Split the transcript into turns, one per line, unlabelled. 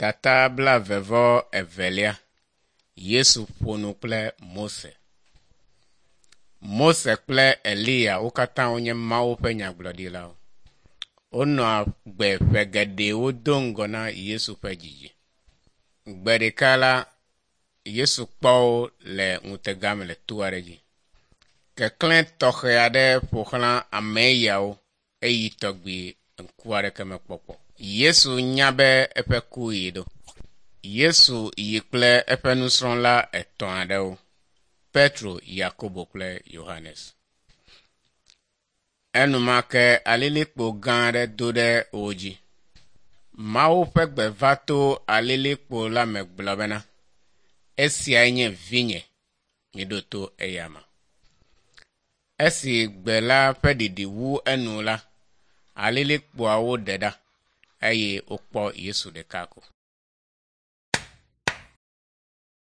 Tata blaeve-vɔ-evelia. Yesu ƒo nu kple Mose. Mose kple Eliya wo katã wonye Mawu ƒe nyagblɔɖilawo. Wonɔ agbe ƒe geɖewo do ŋgɔ na Yesu ƒe dzidzi. Gbe ɖeka la, Yesu kpɔ wo le ŋutega me le to aɖe dzi. Keklẽ tɔxɛ aɖe ƒo xlã ame yawo eyi tɔgbi ŋku aɖeke mekpɔ kpɔ o. Yesu nya be eƒe kuɣi ɖo. Yesu yi kple eƒe nusrɔ̃la etɔ̃ aɖewo. Petro, Yakobo kple Yohanes. Enumake alilikpo gã aɖe do ɖe wo dzi. Mawu ƒe gbe va to alilikpo la me gblɔ bena, Esiae nye vinye, miɖo to eyama. Esi gbe la ƒe ɖiɖi wu enu la, alilikpoawo ɖe ɖa eye wokpɔ Yesu ɖeka ko.